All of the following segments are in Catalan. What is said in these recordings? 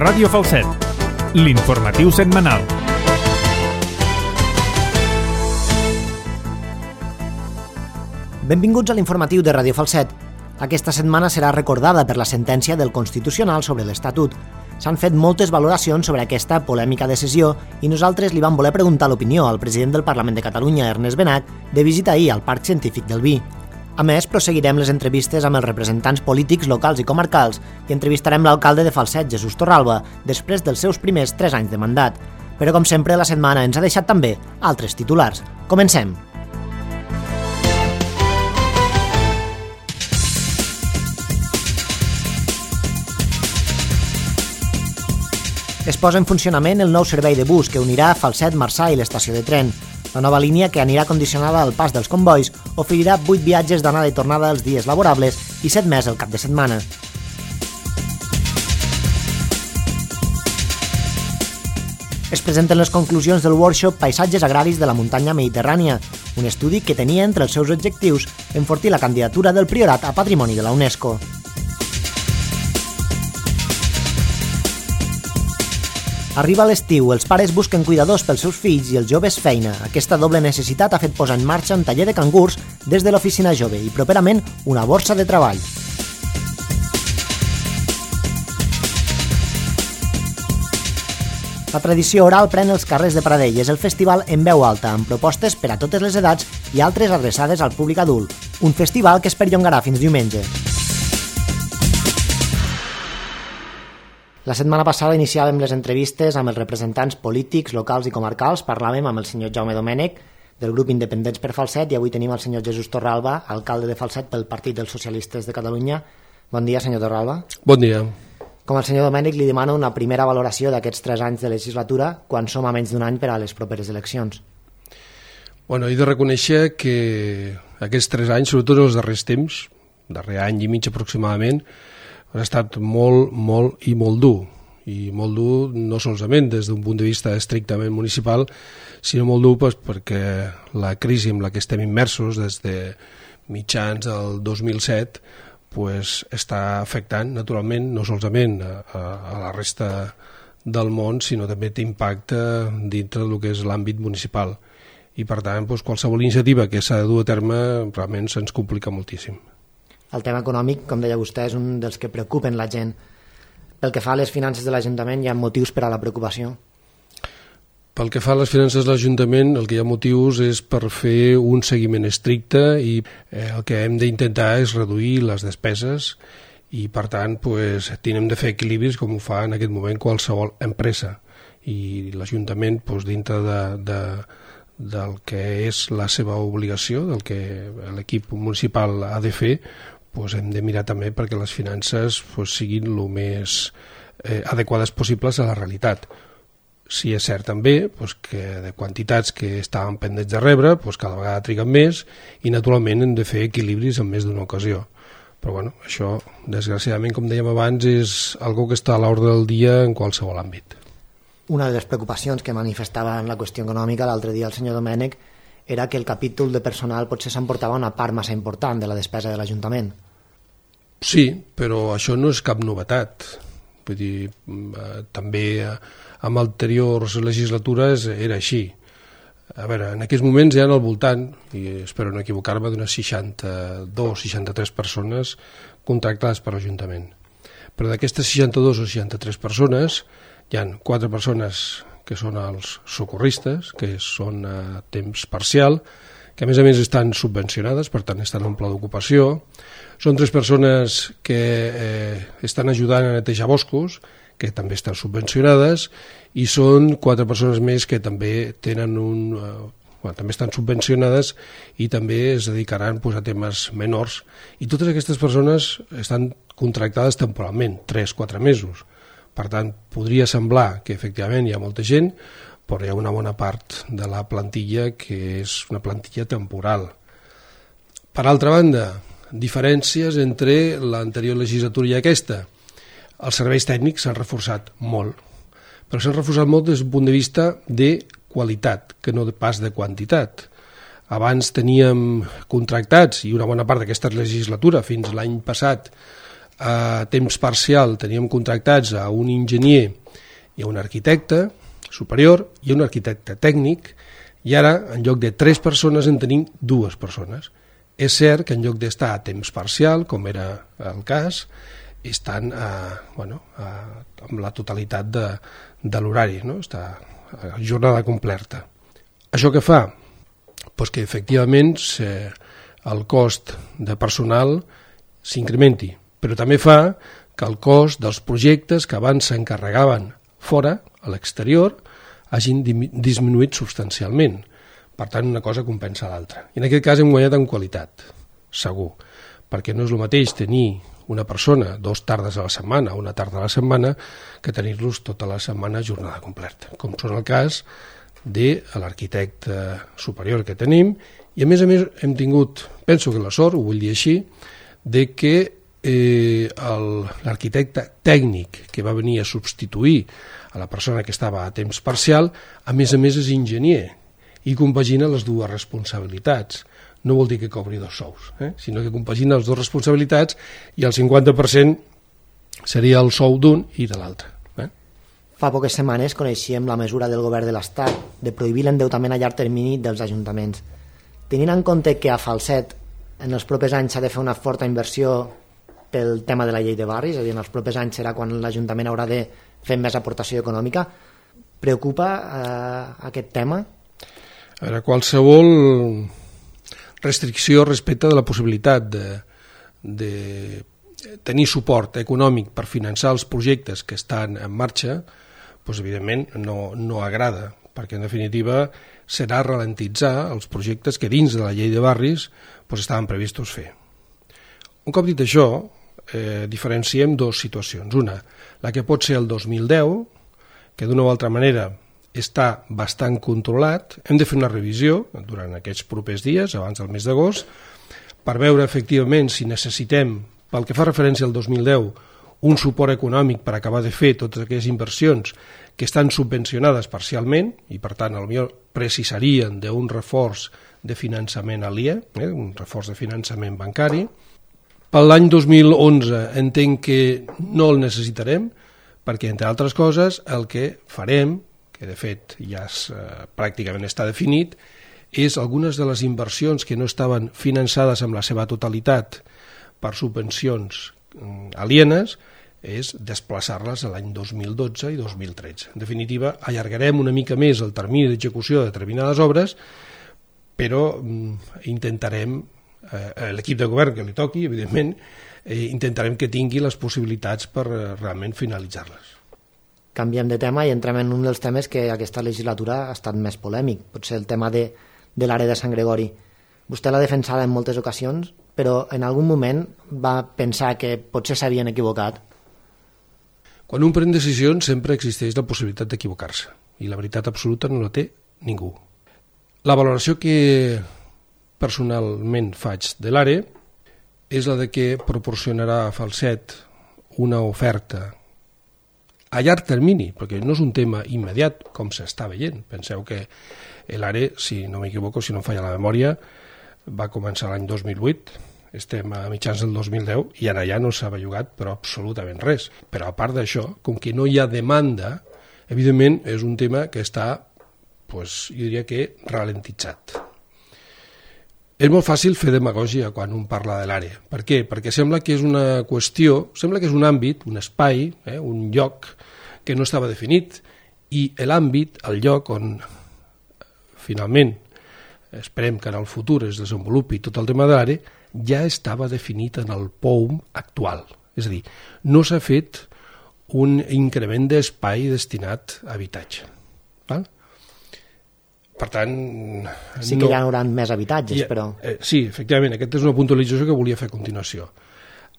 Ràdio Falset, l'informatiu setmanal. Benvinguts a l'informatiu de Ràdio Falset. Aquesta setmana serà recordada per la sentència del Constitucional sobre l'Estatut. S'han fet moltes valoracions sobre aquesta polèmica decisió i nosaltres li vam voler preguntar l'opinió al president del Parlament de Catalunya, Ernest Benach, de visita ahir al Parc Científic del Vi. A més, prosseguirem les entrevistes amb els representants polítics locals i comarcals i entrevistarem l'alcalde de Falset, Jesús Torralba, després dels seus primers 3 anys de mandat. Però, com sempre, la setmana ens ha deixat també altres titulars. Comencem! Es posa en funcionament el nou servei de bus que unirà Falset, Marçà i l'estació de tren. La nova línia, que anirà condicionada al pas dels convois, oferirà 8 viatges d'anada i tornada els dies laborables i 7 més el cap de setmana. Es presenten les conclusions del workshop Paisatges agraris de la muntanya mediterrània, un estudi que tenia entre els seus objectius enfortir la candidatura del Priorat a Patrimoni de la UNESCO. Arriba l'estiu, els pares busquen cuidadors pels seus fills i els joves feina. Aquesta doble necessitat ha fet posar en marxa un taller de cangurs des de l'oficina jove i properament una borsa de treball. La tradició oral pren els carrers de Pradell. És el festival en veu alta, amb propostes per a totes les edats i altres adreçades al públic adult. Un festival que es perllongarà fins diumenge. La setmana passada iniciàvem les entrevistes amb els representants polítics, locals i comarcals. Parlàvem amb el senyor Jaume Domènech, del grup Independents per Falset, i avui tenim el senyor Jesús Torralba, alcalde de Falset pel Partit dels Socialistes de Catalunya. Bon dia, senyor Torralba. Bon dia. Com el senyor Domènech, li demano una primera valoració d'aquests 3 anys de legislatura, quan som a menys d'un any per a les properes eleccions. Bueno, he de reconèixer que aquests 3 anys, sobretot els darrers temps, darrer any i mig aproximadament, ha estat molt dur. I molt dur no solament des d'un punt de vista estrictament municipal, sinó molt dur perquè la crisi en la que estem immersos des de mitjans del 2007 està afectant naturalment no solament a la resta del món, sinó també té impacte dintre del que és l'àmbit municipal. I per tant, qualsevol iniciativa que s'ha de dur a terme realment se'ns complica moltíssim. El tema econòmic, com deia vostè, és un dels que preocupen la gent. Pel que fa a les finances de l'Ajuntament, hi ha motius per a la preocupació? Pel que fa a les finances de l'Ajuntament, el que hi ha motius és per fer un seguiment estricte i el que hem d'intentar és reduir les despeses i, per tant, tenim de fer equilibris com ho fa en aquest moment qualsevol empresa. I l'Ajuntament, dintre del que és la seva obligació, del que l'equip municipal ha de fer, hem de mirar també perquè les finances siguin el més adequades possibles a la realitat. Sí, és cert també que de quantitats que estaven pendents de rebre cada vegada triguen més i naturalment hem de fer equilibris en més d'una ocasió. Però això, desgraciadament, com dèiem abans, és algo que està a l'ordre del dia en qualsevol àmbit. Una de les preocupacions que manifestava en la qüestió econòmica l'altre dia el senyor Domènech era que el capítol de personal potser s'emportava una part massa important de la despesa de l'Ajuntament. Sí, però això no és cap novetat. Vull dir, també en anteriors legislatures era així. A veure, en aquests moments hi ha al voltant, i espero no equivocar-me, d'unes 62-63 persones contractades per l'Ajuntament. Però d'aquestes 62 o 63 persones hi ha 4 persones que són els socorristes, que són a temps parcial, que a més estan subvencionades, per tant estan en pla d'ocupació. Són 3 persones que estan ajudant a netejar boscos, que també estan subvencionades, i són 4 persones més que també tenen també estan subvencionades i també es dedicaran a temes menors. I totes aquestes persones estan contractades temporalment, 3-4 mesos. Per tant, podria semblar que efectivament hi ha molta gent, però hi ha una bona part de la plantilla que és una plantilla temporal. Per altra banda, diferències entre l'anterior legislatura i aquesta. Els serveis tècnics s'han reforçat molt, però s'han reforçat molt des d'un punt de vista de qualitat, que no pas de quantitat. Abans teníem contractats, i una bona part d'aquesta legislatura, fins l'any passat, A temps parcial teníem contractats a un enginyer i a un arquitecte superior i a un arquitecte tècnic, i ara, en lloc de 3 persones, en tenim 2 persones. És cert que en lloc d'estar a temps parcial, com era el cas, estan amb la totalitat de l'horari, no? Està a jornada completa. Això què fa? Pues que efectivament el cost de personal s'incrementi, però també fa que el cost dels projectes que abans s'encarregaven fora, a l'exterior, hagin disminuït substancialment. Per tant, una cosa compensa l'altra. I en aquest cas hem guanyat en qualitat, segur, perquè no és el mateix tenir una persona 2 tardes a la setmana o una tarda a la setmana que tenir-los tota la setmana a jornada completa, com són el cas de l'arquitecte superior que tenim, i a més hem tingut, penso que la sort, ho vull dir així, de que l'arquitecte tècnic que va venir a substituir a la persona que estava a temps parcial, a més és enginyer, i compagina les 2 responsabilitats. No vol dir que cobri 2 sous, sinó que compagina les 2 responsabilitats i el 50% seria el sou d'un i de l'altre. Fa poques setmanes coneixíem la mesura del govern de l'Estat de prohibir l'endeutament a llarg termini dels ajuntaments. Tenint en compte que a Falset en els propers anys s'ha de fer una forta inversió pel tema de la llei de barris, és a dir, en els propers anys serà quan l'Ajuntament haurà de fer més aportació econòmica, preocupa aquest tema? A veure, qualsevol restricció respecte de la possibilitat de tenir suport econòmic per finançar els projectes que estan en marxa, doncs evidentment no agrada, perquè en definitiva serà ralentitzar els projectes que dins de la llei de barris estaven previstos fer. Un cop dit això, diferenciem 2 situacions. Una, la que pot ser el 2010, que d'una o altra manera està bastant controlat. Hem de fer una revisió durant aquests propers dies, abans del mes d'agost, per veure efectivament si necessitem, pel que fa referència al 2010, un suport econòmic per acabar de fer totes aquelles inversions que estan subvencionades parcialment i, per tant, potser precisarien d'un reforç de finançament aliè, un reforç de finançament bancari. Per l'any 2011 entenc que no el necessitarem, perquè, entre altres coses, el que farem, que de fet ja pràcticament està definit, és algunes de les inversions que no estaven finançades amb la seva totalitat per subvencions alienes, és desplaçar-les a l'any 2012 i 2013. En definitiva, allargarem una mica més el termini d'execució de determinades obres, però intentarem, l'equip de govern que li toqui, evidentment, intentarem que tingui les possibilitats per realment finalitzar-les. Canviem de tema i entrem en un dels temes que aquesta legislatura ha estat més polèmic, potser el tema de l'àrea de Sant Gregori. Vostè l'ha defensada en moltes ocasions, però en algun moment va pensar que potser s'havien equivocat. Quan un pren decisions sempre existeix la possibilitat d'equivocar-se, i la veritat absoluta no la té ningú. La valoració que personalment faig de l'àrea és la de que proporcionarà a Falset una oferta a llarg termini, perquè no és un tema immediat, com s'està veient. Penseu que l'ARE, si no m'equivoco, si no em falla la memòria, va començar l'any 2008, estem a mitjans del 2010, i ara ja no s'ha bellugat, però absolutament res. Però a part d'això, com que no hi ha demanda, evidentment és un tema que està, jo diria que, ralentitzat. És molt fàcil fer demagògia quan un parla de l'àrea. Per què? Perquè sembla que és una qüestió, sembla que és un àmbit, un espai, un lloc que no estava definit, i l'àmbit, el lloc on finalment esperem que en el futur es desenvolupi tot el tema de l'àrea, ja estava definit en el POUM actual. És a dir, no s'ha fet un increment d'espai destinat a habitatge. Val? Per tant... Sí que hi haurà més habitatges, però... Sí, efectivament, aquesta és una puntualització que volia fer a continuació.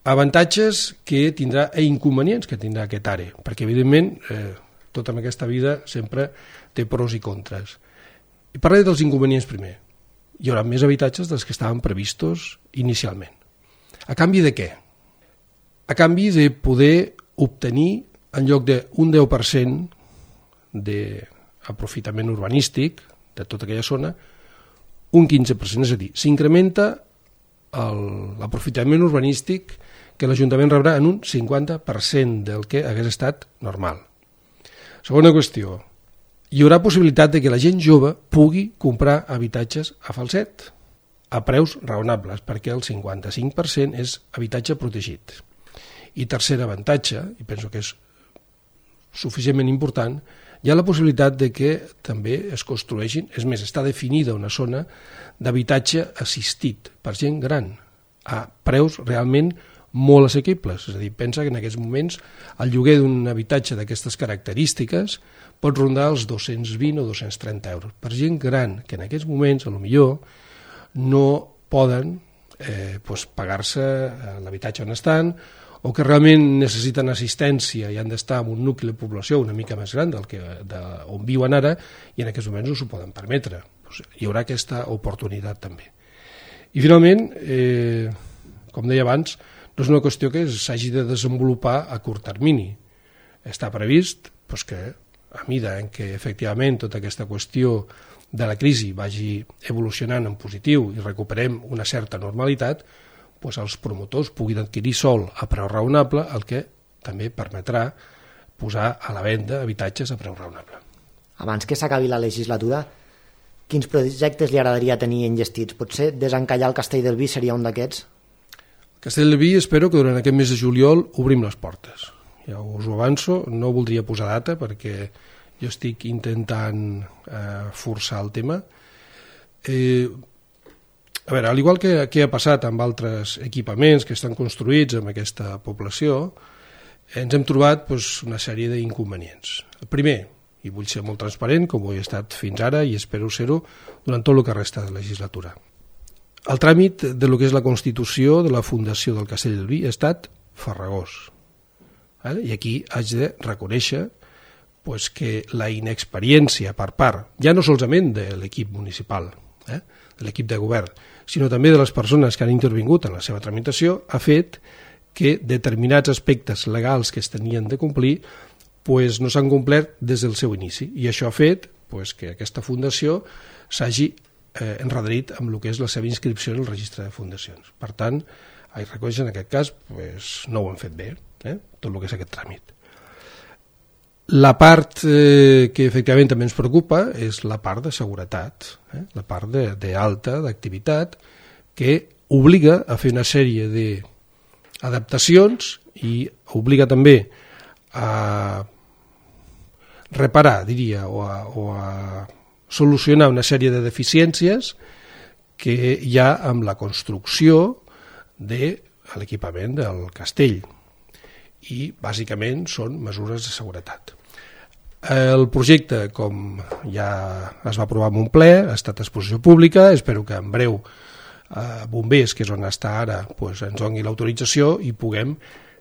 Avantatges que tindrà i inconvenients que tindrà aquest àrea, perquè evidentment tota en aquesta vida sempre té pros i contres. I parlaré dels inconvenients primer. Hi haurà més habitatges dels que estaven previstos inicialment. A canvi de què? A canvi de poder obtenir, en lloc d'un 10% d'aprofitament urbanístic de tota aquella zona, un 15%, és a dir, s'incrementa l'aprofitament urbanístic que l'Ajuntament rebrà en un 50% del que hagués estat normal. Segona qüestió, hi haurà possibilitat de que la gent jove pugui comprar habitatges a Falset a preus raonables, perquè el 55% és habitatge protegit. I tercer avantatge, i penso que és suficientment important, hi ha la possibilitat de que també es construeixin, és més, està definida una zona d'habitatge assistit per gent gran, a preus realment molt assequibles. És a dir, pensa que en aquests moments el lloguer d'un habitatge d'aquestes característiques pot rondar els 220 o 230 euros. Per gent gran, que en aquests moments, potser no poden pagar-se l'habitatge on estan, o que realment necessiten assistència i han d'estar en un nucli de població una mica més gran on viuen ara, i en aquests moments no s'ho poden permetre. Hi haurà aquesta oportunitat també. I finalment, com deia abans, no és una qüestió que s'hagi de desenvolupar a curt termini. Està previst que a mida en què efectivament tota aquesta qüestió de la crisi vagi evolucionant en positiu i recuperem una certa normalitat, els promotors puguin adquirir sol a preu raonable, el que també permetrà posar a la venda habitatges a preu raonable. Abans que s'acabi la legislatura, quins projectes li agradaria tenir enllestits? Potser desencallar el Castell del Vi seria un d'aquests? El Castell del Vi espero que durant aquest mes de juliol obrim les portes. Ja us ho avanço, no voldria posar data perquè jo estic intentant forçar el tema. A veure, al igual que ha passat amb altres equipaments que estan construïts en aquesta població, ens hem trobat una sèrie d'inconvenients. El primer, i vull ser molt transparent, com ho he estat fins ara i espero ser-ho durant tot el que resta de legislatura. El tràmit de lo que és la constitució de la Fundació del Castell del Vi ha estat farragós. I aquí haig de reconèixer que la inexperiència per part, ja no solament de l'equip municipal, de l'equip de govern, sinó també de les persones que han intervingut en la seva tramitació, ha fet que determinats aspectes legals que es tenien de complir no s'han complert des del seu inici. I això ha fet que aquesta fundació s'hagi enredarit amb el que és la seva inscripció en el registre de fundacions. Per tant, haig de reconèixer en aquest cas no ho han fet bé, tot el que és aquest tràmit. La part que efectivament també ens preocupa és la part de seguretat, la part d'alta, d'activitat, que obliga a fer una sèrie d'adaptacions i obliga també a reparar, diria, o a solucionar una sèrie de deficiències que hi ha amb la construcció de l'equipament del castell. I bàsicament són mesures de seguretat. El projecte, com ja es va aprovar en un ple, ha estat a exposició pública, espero que en breu Bombers, que és on està ara, ens doni l'autorització i puguem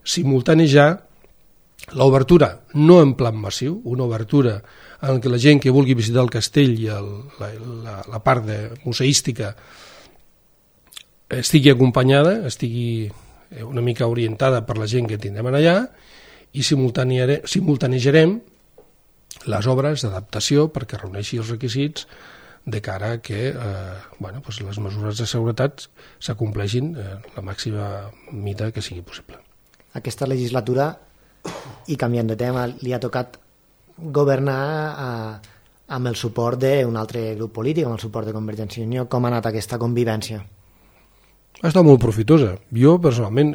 simultanejar l'obertura, no en plan massiu, una obertura en què la gent que vulgui visitar el castell i la part museística estigui acompanyada, estigui una mica orientada per la gent que tindrem allà, i simultanejarem les obres d'adaptació perquè reuneixi els requisits de cara a que les mesures de seguretat s'acompleixin la màxima mida que sigui possible. Aquesta legislatura, i canviant de tema, li ha tocat governar amb el suport d'un altre grup polític, amb el suport de Convergència i Unió. Com ha anat aquesta convivència? Ha estat molt profitosa. Jo, personalment,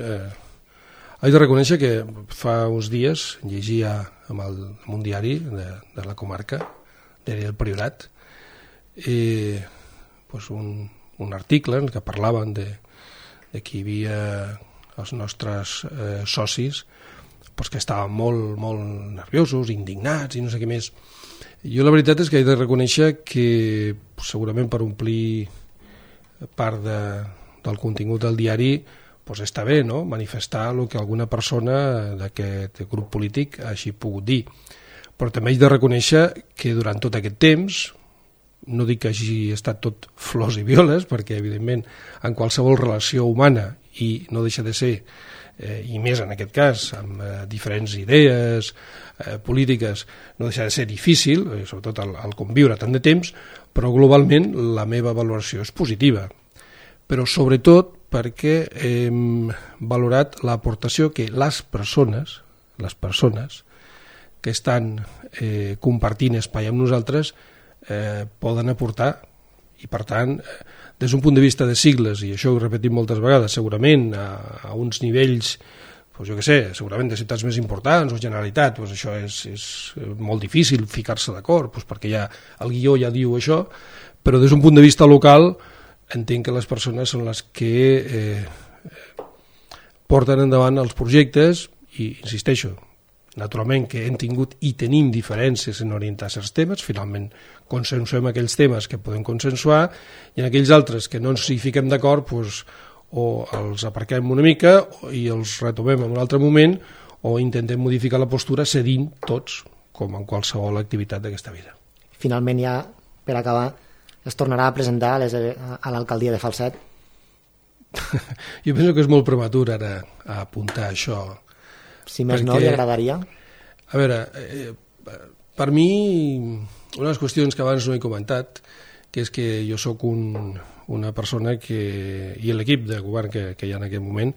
haig de reconèixer que fa uns dies llegia en un diari de la comarca, del Priorat, un article en què parlaven de que hi havia els nostres socis que estaven molt, molt nerviosos, indignats i no sé què més. Jo la veritat és que he de reconèixer que segurament per omplir part del contingut del diari està bé, no?, manifestar el que alguna persona d'aquest grup polític hagi pogut dir. Però també haig de reconèixer que durant tot aquest temps, no dic que hagi estat tot flors i violes, perquè evidentment en qualsevol relació humana, i no deixa de ser, i més en aquest cas, amb diferents idees polítiques, no deixa de ser difícil, sobretot el conviure tant de temps, però globalment la meva valoració és positiva. Però sobretot perquè hem valorat l'aportació que les persones que estan compartint espai amb nosaltres poden aportar, i per tant, des d'un punt de vista de sigles, i això ho he repetit moltes vegades, segurament a uns nivells, jo què sé, segurament de ciutats més importants o Generalitat, això és molt difícil ficar-se d'acord, perquè ja el guió ja diu això, però des d'un punt de vista local entenc que les persones són les que porten endavant els projectes i, insisteixo, naturalment que hem tingut i tenim diferències en orientar certs temes, finalment consensuem aquells temes que podem consensuar i en aquells altres que no ens hi fiquem d'acord o els aparquem una mica i els retomem en un altre moment o intentem modificar la postura cedint tots, com en qualsevol activitat d'aquesta vida. Finalment ja, per acabar, es tornarà a presentar a l'alcaldia de Falset? Jo penso que és molt prematur ara a apuntar això. Si més no, li agradaria? A veure, per mi, una de les qüestions que abans no he comentat, que és que jo sóc una persona i l'equip de govern que hi ha en aquest moment,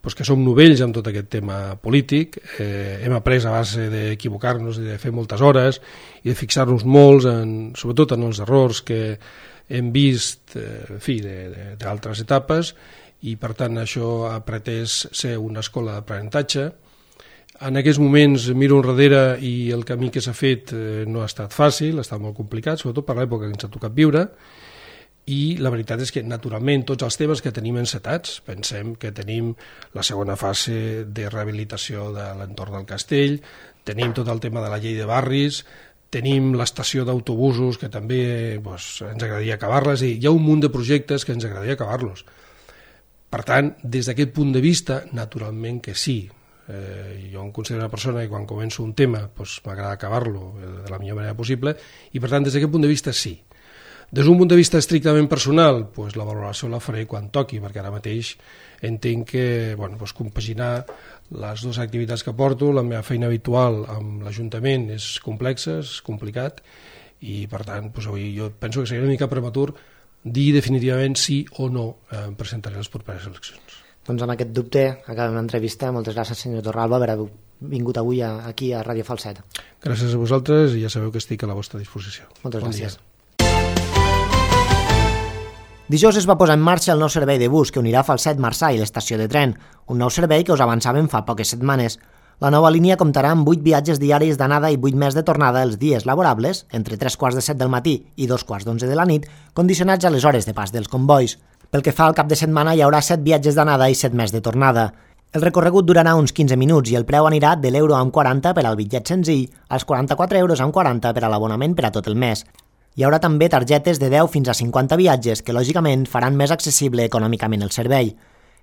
que som novells amb tot aquest tema polític, hem après a base d'equivocar-nos i de fer moltes hores i de fixar-nos molts, sobretot en els errors que hem vist d'altres etapes, i per tant això ha pretès ser una escola d'aprenentatge. En aquests moments miro enrere i el camí que s'ha fet no ha estat fàcil, ha estat molt complicat, sobretot per l'època que ens ha tocat viure, i la veritat és que naturalment tots els temes que tenim encetats, pensem que tenim la segona fase de rehabilitació de l'entorn del castell, tenim tot el tema de la llei de barris, tenim l'estació d'autobusos que també ens agradaria acabar-les, i hi ha un munt de projectes que ens agradaria acabar-los. Per tant, des d'aquest punt de vista, naturalment que sí. Jo em considero una persona que quan començo un tema m'agrada acabar-lo de la millor manera possible, i per tant des d'aquest punt de vista sí. Des d'un punt de vista estrictament personal, la valoració la faré quan toqui, perquè ara mateix entenc que compaginar les dues activitats que porto, la meva feina habitual amb l'Ajuntament és complexa, és complicat, i per tant avui jo penso que seria una mica prematur dir definitivament sí o no em presentaré a les properes eleccions. Doncs amb aquest dubte acabem l'entrevista. Moltes gràcies, senyor Torralba, per haver vingut avui aquí a Ràdio Falset. Gràcies a vosaltres i ja sabeu que estic a la vostra disposició. Moltes gràcies. Dijous es va posar en marxa el nou servei de bus que unirà Falset-Marçà i l'estació de tren, un nou servei que us avançàvem fa poques setmanes. La nova línia comptarà amb 8 viatges diaris d'anada i 8 més de tornada els dies laborables, entre 3:15 del matí i 2:11 de la nit, condicionats a les hores de pas dels convois. Pel que fa al cap de setmana, hi haurà 7 viatges d'anada i 7 més de tornada. El recorregut durarà uns 15 minuts i el preu anirà de l'euro/40 per al bitllet senzill als 44,40 € per a l'abonament per a tot el mes. Hi haurà també targetes de 10 fins a 50 viatges que, lògicament, faran més accessible econòmicament el servei.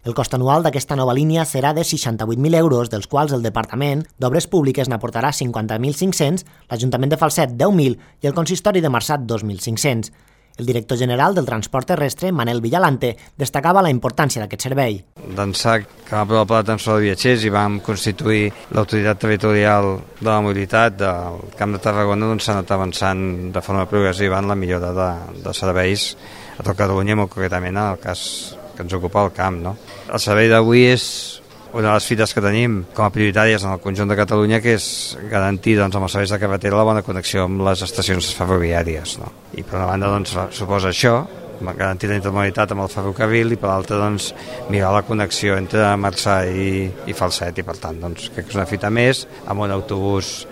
El cost anual d'aquesta nova línia serà de 68.000 €, dels quals el Departament d'Obres Públiques n'aportarà 50.500, l'Ajuntament de Falset 10.000 i el Consistori de Marçà 2.500. El director general del transport terrestre, Manel Villalante, destacava la importància d'aquest servei. D'ençà que vam aprovar el pla de transport de viatgers i vam constituir l'autoritat territorial de la mobilitat del Camp de Tarragona, s'ha anat avançant de forma progressiva en la millora de serveis a tot Catalunya, molt concretament en el cas que ens ocupa el camp. No? El servei d'avui és una de les fites que tenim com a prioritàries en el conjunt de Catalunya, que és garantir amb els serveis de carretera la bona connexió amb les estacions ferroviàries. No? I per una banda suposa això, garantir la intermodalitat amb el ferrocarril, i per l'altra millorar la connexió entre Marçà i Falset, i per tant crec que és una fita més amb un autobús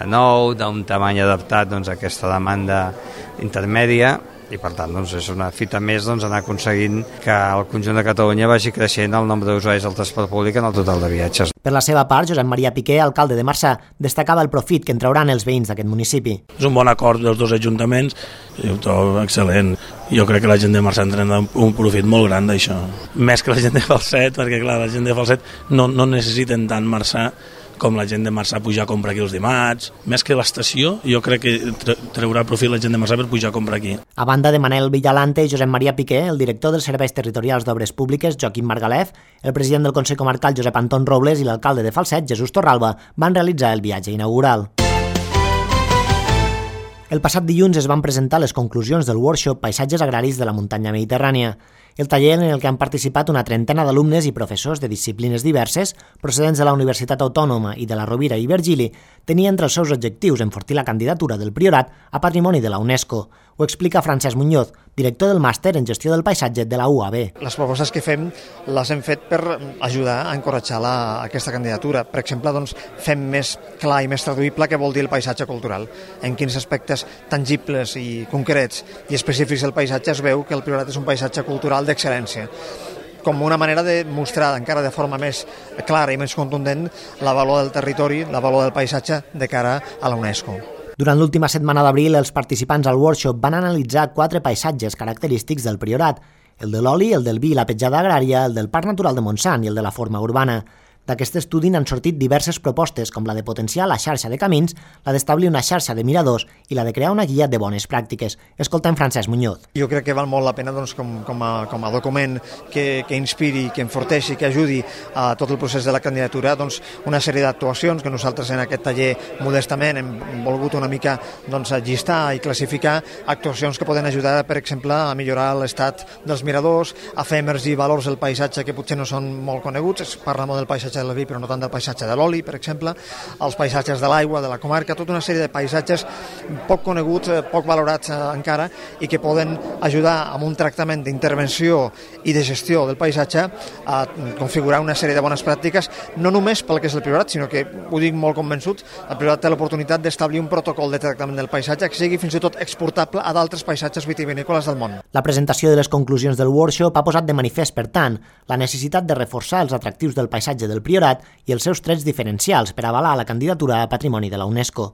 nou, d'un tamany adaptat a aquesta demanda intermèdia, i per tant és una fita més anar aconseguint que el conjunt de Catalunya vagi creixent el nombre d'usuaris del transport públic en el total de viatges. Per la seva part, Josep Maria Piqué, alcalde de Marçà, destacava el profit que en trauran els veïns d'aquest municipi. És un bon acord dels dos ajuntaments, i ho trobo excel·lent. Jo crec que la gent de Marçà en tindrà un profit molt gran d'això. Més que la gent de Falset, perquè clar, la gent de Falset no necessiten tant Marçà com la gent de Marçà pujar a comprar aquí els dimarts. Més que l'estació, jo crec que treurà profit la gent de Marçà per pujar a comprar aquí. A banda de Manel Villalante i Josep Maria Piqué, el director dels Serveis Territorials d'Obres Públiques, Joaquim Margalef, el president del Consell Comarcal, Josep Anton Robles, i l'alcalde de Falset, Jesús Torralba, van realitzar el viatge inaugural. El passat dilluns es van presentar les conclusions del workshop Paisatges Agraris de la Muntanya Mediterrània. El taller, en el que han participat una trentena d'alumnes i professors de disciplines diverses, procedents de la Universitat Autònoma i de la Rovira i Virgili, tenia entre els seus objectius enfortir la candidatura del Priorat a Patrimoni de la UNESCO. Ho explica Francesc Muñoz, director del màster en gestió del paisatge de la UAB. Les propostes que fem les hem fet per ajudar a encoratjar aquesta candidatura. Per exemple, fem més clar i més traduïble què vol dir el paisatge cultural. En quins aspectes tangibles i concrets i específics del paisatge es veu que el Priorat és un paisatge cultural d'excel·lència, com una manera de mostrar encara de forma més clara i més contundent la valor del territori, la valor del paisatge de cara a la UNESCO. Durant l'última setmana d'abril, els participants al workshop van analitzar 4 paisatges característics del Priorat: el de l'oli, el del vi i la petjada agrària, el del Parc Natural de Montsant i el de la forma urbana. D'aquest estudi n'han sortit diverses propostes, com la de potenciar la xarxa de camins, la d'establir una xarxa de miradors i la de crear una guia de bones pràctiques. Escoltem Francesc Muñoz. Jo crec que val molt la pena com a document que inspiri, que enforteixi, que ajudi a tot el procés de la candidatura, una sèrie d'actuacions que nosaltres en aquest taller modestament hem volgut una mica llistar i classificar, actuacions que poden ajudar, per exemple, a millorar l'estat dels miradors, a fer emergir valors del paisatge que potser no són molt coneguts. Es parla molt del paisatge del vi, però no tant del paisatge de l'oli, per exemple, els paisatges de l'aigua, de la comarca, tota una sèrie de paisatges poc coneguts, poc valorats encara, i que poden ajudar amb un tractament d'intervenció i de gestió del paisatge a configurar una sèrie de bones pràctiques, no només pel que és el Priorat, sinó que, ho dic molt convençut, el Priorat té l'oportunitat d'establir un protocol de tractament del paisatge que sigui fins i tot exportable a d'altres paisatges vitivinícoles del món. La presentació de les conclusions del workshop ha posat de manifest, per tant, la necessitat de reforçar els atractius del paisatge del Priorat i els seus trets diferencials per avalar la candidatura a Patrimoni de la UNESCO.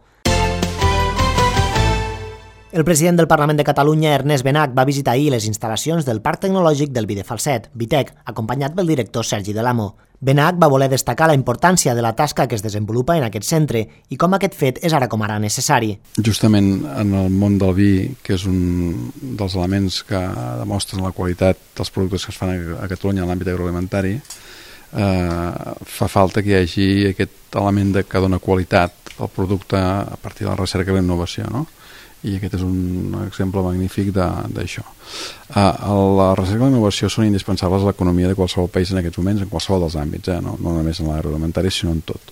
El president del Parlament de Catalunya, Ernest Benach, va visitar ahir les instal·lacions del Parc Tecnològic del Vi de Falset, Vitec, acompanyat pel director Sergi Delamo. Benach va voler destacar la importància de la tasca que es desenvolupa en aquest centre i com aquest fet és ara com ara necessari. Justament en el món del vi, que és un dels elements que demostren la qualitat dels productes que es fan a Catalunya en l'àmbit agroalimentari, fa falta que hi hagi aquest element que dona qualitat al producte a partir de la recerca i la innovació, no? I aquest és un exemple magnífic d'això. La recerca i la innovació són indispensables a l'economia de qualsevol país en aquests moments, en qualsevol dels àmbits, no només en l'agroalimentari, sinó en tot.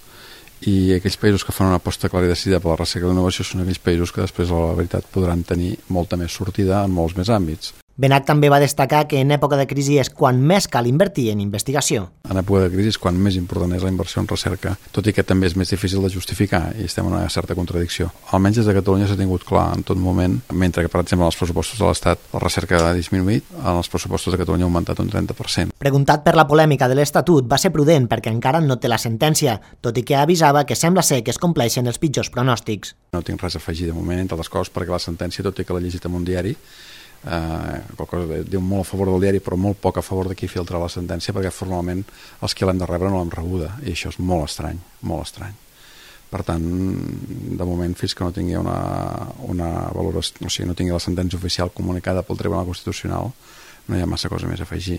I aquells països que fan una aposta clara i decidida per la recerca i la innovació són aquells països que després, a la veritat, podran tenir molta més sortida en molts més àmbits. Benach també va destacar que en època de crisi és quan més cal invertir en investigació. En època de crisi és quan més important és la inversió en recerca, tot i que també és més difícil de justificar i estem en una certa contradicció. Almenys des de Catalunya s'ha tingut clar en tot moment, mentre que, per exemple, en els pressupostos de l'Estat la recerca ha disminuït, en els pressupostos de Catalunya ha augmentat un 30%. Preguntat per la polèmica de l'Estatut, va ser prudent perquè encara no té la sentència, tot i que avisava que sembla ser que es compleixen els pitjors pronòstics. No tinc res a afegir de moment, entre les coses, perquè la sentència, tot i que l'he llegit en un diari, diu molt a favor del diari però molt poc a favor de qui filtra la sentència, perquè formalment els que l'hem de rebre no l'hem rebuda, i això és molt estrany, molt estrany. Per tant, de moment, fins que no tingui una valoració, o sigui, no tingui la sentència oficial comunicada pel Tribunal Constitucional, no hi ha massa cosa més a afegir.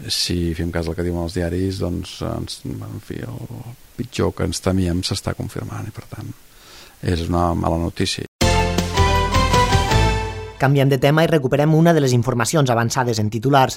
Si fem cas del que diuen els diaris, doncs, en fi, el pitjor que ens temíem s'està confirmant, i per tant és una mala notícia. Canviem de tema i recuperem una de les informacions avançades en titulars.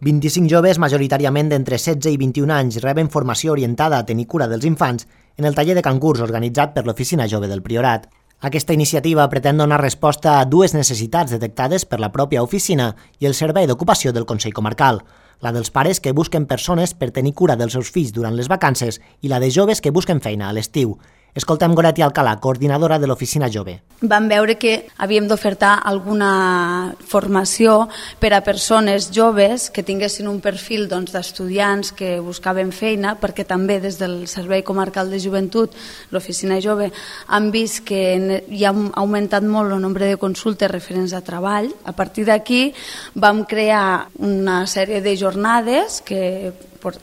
25 joves, majoritàriament d'entre 16 i 21 anys, reben formació orientada a tenir cura dels infants en el taller de cangurs organitzat per l'Oficina Jove del Priorat. Aquesta iniciativa pretén donar resposta a 2 necessitats detectades per la pròpia oficina i el Servei d'Ocupació del Consell Comarcal, la dels pares que busquen persones per tenir cura dels seus fills durant les vacances i la de joves que busquen feina a l'estiu. Escoltem Goretti Alcalà, coordinadora de l'Oficina Jove. Vam veure que havíem d'ofertar alguna formació per a persones joves que tinguessin un perfil d'estudiants que buscaven feina, perquè també des del Servei Comarcal de Joventut, l'Oficina Jove, han vist que hi ha augmentat molt el nombre de consultes referents a treball. A partir d'aquí vam crear una sèrie de jornades que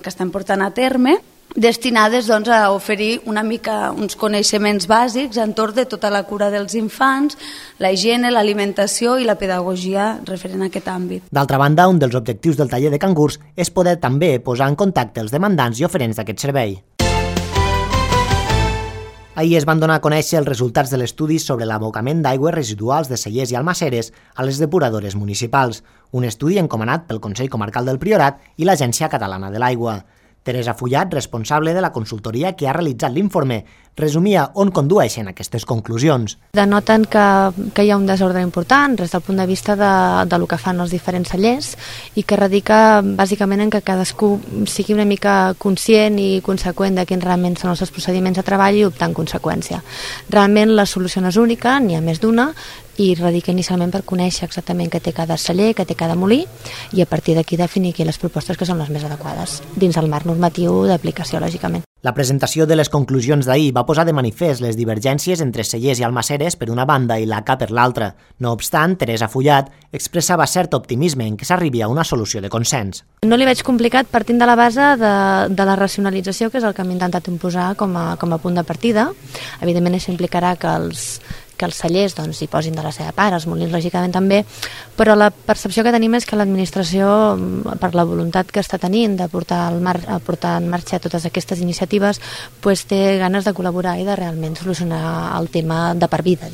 estem portant a terme, destinades a oferir una mica uns coneixements bàsics entorn de tota la cura dels infants, la higiene, l'alimentació i la pedagogia referent a aquest àmbit. D'altra banda, un dels objectius del taller de cangurs és poder també posar en contacte els demandants i oferents d'aquest servei. Ahir es van donar a conèixer els resultats de l'estudi sobre l'abocament d'aigües residuals de Cellers i Almaseres a les depuradores municipals, un estudi encomanat pel Consell Comarcal del Priorat i l'Agència Catalana de l'Aigua. Teresa Fullat, responsable de la consultoria que ha realitzat l'informe, resumia on condueixen aquestes conclusions. Denoten que hi ha un desordre important des del punt de vista de lo que fan els diferents cellers i que radica bàsicament en que cadascú sigui una mica conscient i conseqüent de quins realment són els seus procediments de treball i optar en conseqüència. Realment la solució no és única, n'hi ha més d'una, i radica inicialment per conèixer exactament què té cada celler, què té cada molí i a partir d'aquí definir aquí les propostes que són les més adequades, dins el marc normatiu d'aplicació, lògicament. La presentació de les conclusions d'ahir va posar de manifest les divergències entre Cellers i Almaseres per una banda i l'ACA per l'altra. No obstant, Teresa Fullat expressava cert optimisme en què s'arribi a una solució de consens. No li veig complicat partint de la base de la racionalització, que és el que hem intentat imposar com a punt de partida. Evidentment això implicarà que els cellers hi posin de la seva part, els molins lògicament també, però la percepció que tenim és que l'administració, per la voluntat que està tenint de portar en marxa totes aquestes iniciatives, té ganes de col·laborar i de realment solucionar el tema de per vida.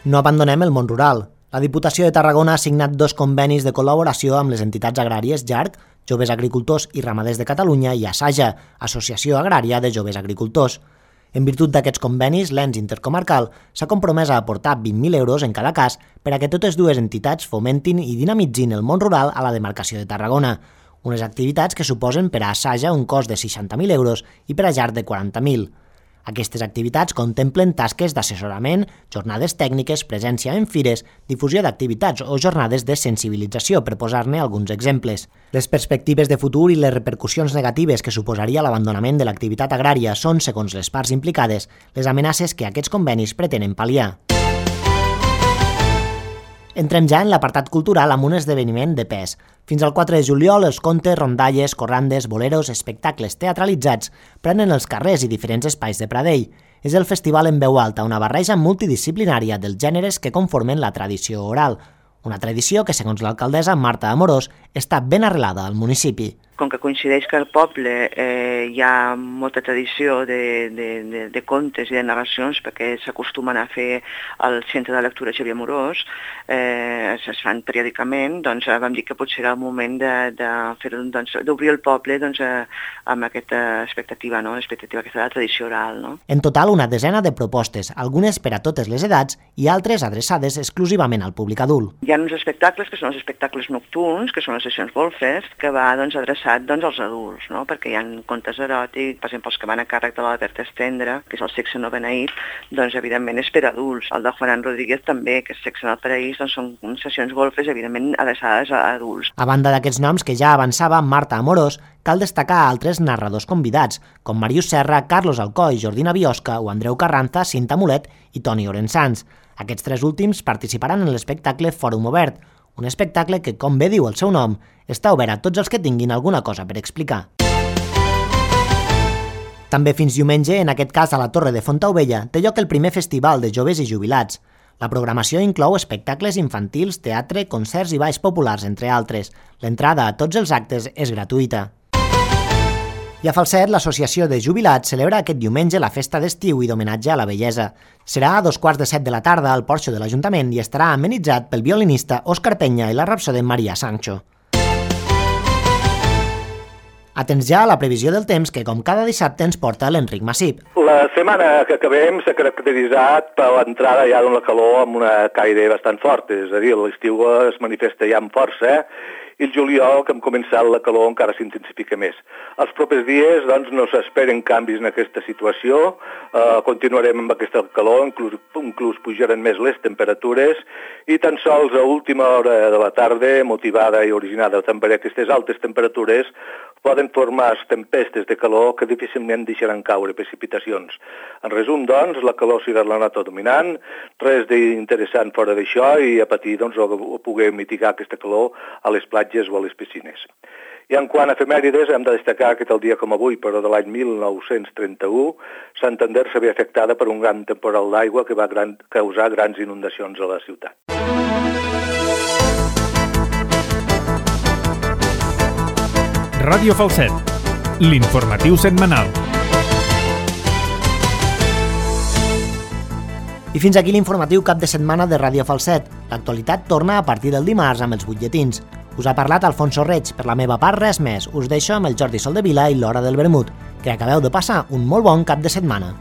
No abandonem el món rural. La Diputació de Tarragona ha signat 2 convenis de col·laboració amb les entitats agràries JARC, Joves Agricultors i Ramaders de Catalunya, i ASAJA, Associació Agrària de Joves Agricultors. En virtut d'aquests convenis, l'ENS intercomarcal s'ha compromès a aportar 20.000 euros en cada cas per a que totes dues entitats fomentin i dinamitzin el món rural a la demarcació de Tarragona, unes activitats que suposen per a ASAJA un cost de 60.000 euros i per a JARC de 40.000. Aquestes activitats contemplen tasques d'assessorament, jornades tècniques, presència en fires, difusió d'activitats o jornades de sensibilització, per posar-ne alguns exemples. Les perspectives de futur i les repercussions negatives que suposaria l'abandonament de l'activitat agrària són, segons les parts implicades, les amenaces que aquests convenis pretenen pal·liar. Entrem ja en l'apartat cultural amb un esdeveniment de pes. Fins al 4 de juliol, els contes, rondalles, corrandes, boleros, espectacles teatralitzats prenen els carrers i diferents espais de Pradell. És el festival en veu alta, una barreja multidisciplinària dels gèneres que conformen la tradició oral. Una tradició que, segons l'alcaldessa Marta Amorós, està ben arrelada al municipi. Com que coincideix que al poble hi ha molta tradició de contes i de narracions, perquè s'acostumen a fer al Centre de Lectura Xavier Amorós, es fan periòdicament, doncs vam dir que potser era el moment d'obrir el poble amb aquesta expectativa, no? L'expectativa aquesta de la tradició oral. No? En total, una desena de propostes, algunes per a totes les edats i altres adreçades exclusivament al públic adult. Hi ha uns espectacles que són els espectacles nocturns, que són les sessions golfes, que va adreçat als adults, no? Perquè hi ha contes eròtics, per exemple, els que van a càrrec de l'Albert Estendre, que és el Sexe no beneït, doncs evidentment és per adults. El de Juan Rodríguez també, que és Sexe en el paraís, doncs són sessions golfes evidentment adreçades a adults. A banda d'aquests noms que ja avançava Marta Amorós, cal destacar altres narradors convidats, com Màrius Serra, Carlos Alcoi, Jordina Biosca o Andreu Carranza, Cinta Mulet i Toni Orensans. Aquests 3 últims participaran en l'espectacle Fòrum Obert, un espectacle que, com bé diu el seu nom, està obert a tots els que tinguin alguna cosa per explicar. També fins diumenge, en aquest cas a la Torre de Fontaubella, té lloc el primer festival de joves i jubilats. La programació inclou espectacles infantils, teatre, concerts i balls populars, entre altres. L'entrada a tots els actes és gratuïta. I a Falset, l'Associació de Jubilats celebra aquest diumenge la festa d'estiu i d'homenatge a la bellesa. Serà a 6:45 de la tarda al porxo de l'Ajuntament i estarà amenitzat pel violinista Òscar Peña i la rapsode Maria Sancho. Atents ja a la previsió del temps que, com cada dissabte, ens porta l'Enric Massip. La setmana que acabem s'ha caracteritzat per l'entrada ja d'una calor amb una caire bastant forta, és a dir, l'estiu es manifesta ja amb força, i el juliol, que hem començat la calor, encara s'intensifica més. Els propers dies doncs, no s'esperen canvis en aquesta situació, continuarem amb aquesta calor, inclús pujaran més les temperatures, i tan sols a última hora de la tarda, motivada i originada també per aquestes altes temperatures, poden formar tempestes de calor que difícilment deixaran caure precipitacions. En resum, doncs, la calor serà la nota dominant, res d'interessant fora d'això i a patir doncs, o poder mitigar aquesta calor a les platges o a les piscines. I en quant a efemèrides, hem de destacar que tal dia com avui, però de l'any 1931, Santander s'havia afectada per un gran temporal d'aigua que va causar grans inundacions a la ciutat. Ràdio Falset, l'informatiu setmanal. I fins aquí l'informatiu cap de setmana de Ràdio Falset. L'actualitat torna a partir del dimarts amb els butlletins. Us ha parlat Alfonso Reig. Per la meva part, res més. Us deixo amb el Jordi Soldevila i l'Hora del Vermut. Que acabeu de passar un molt bon cap de setmana.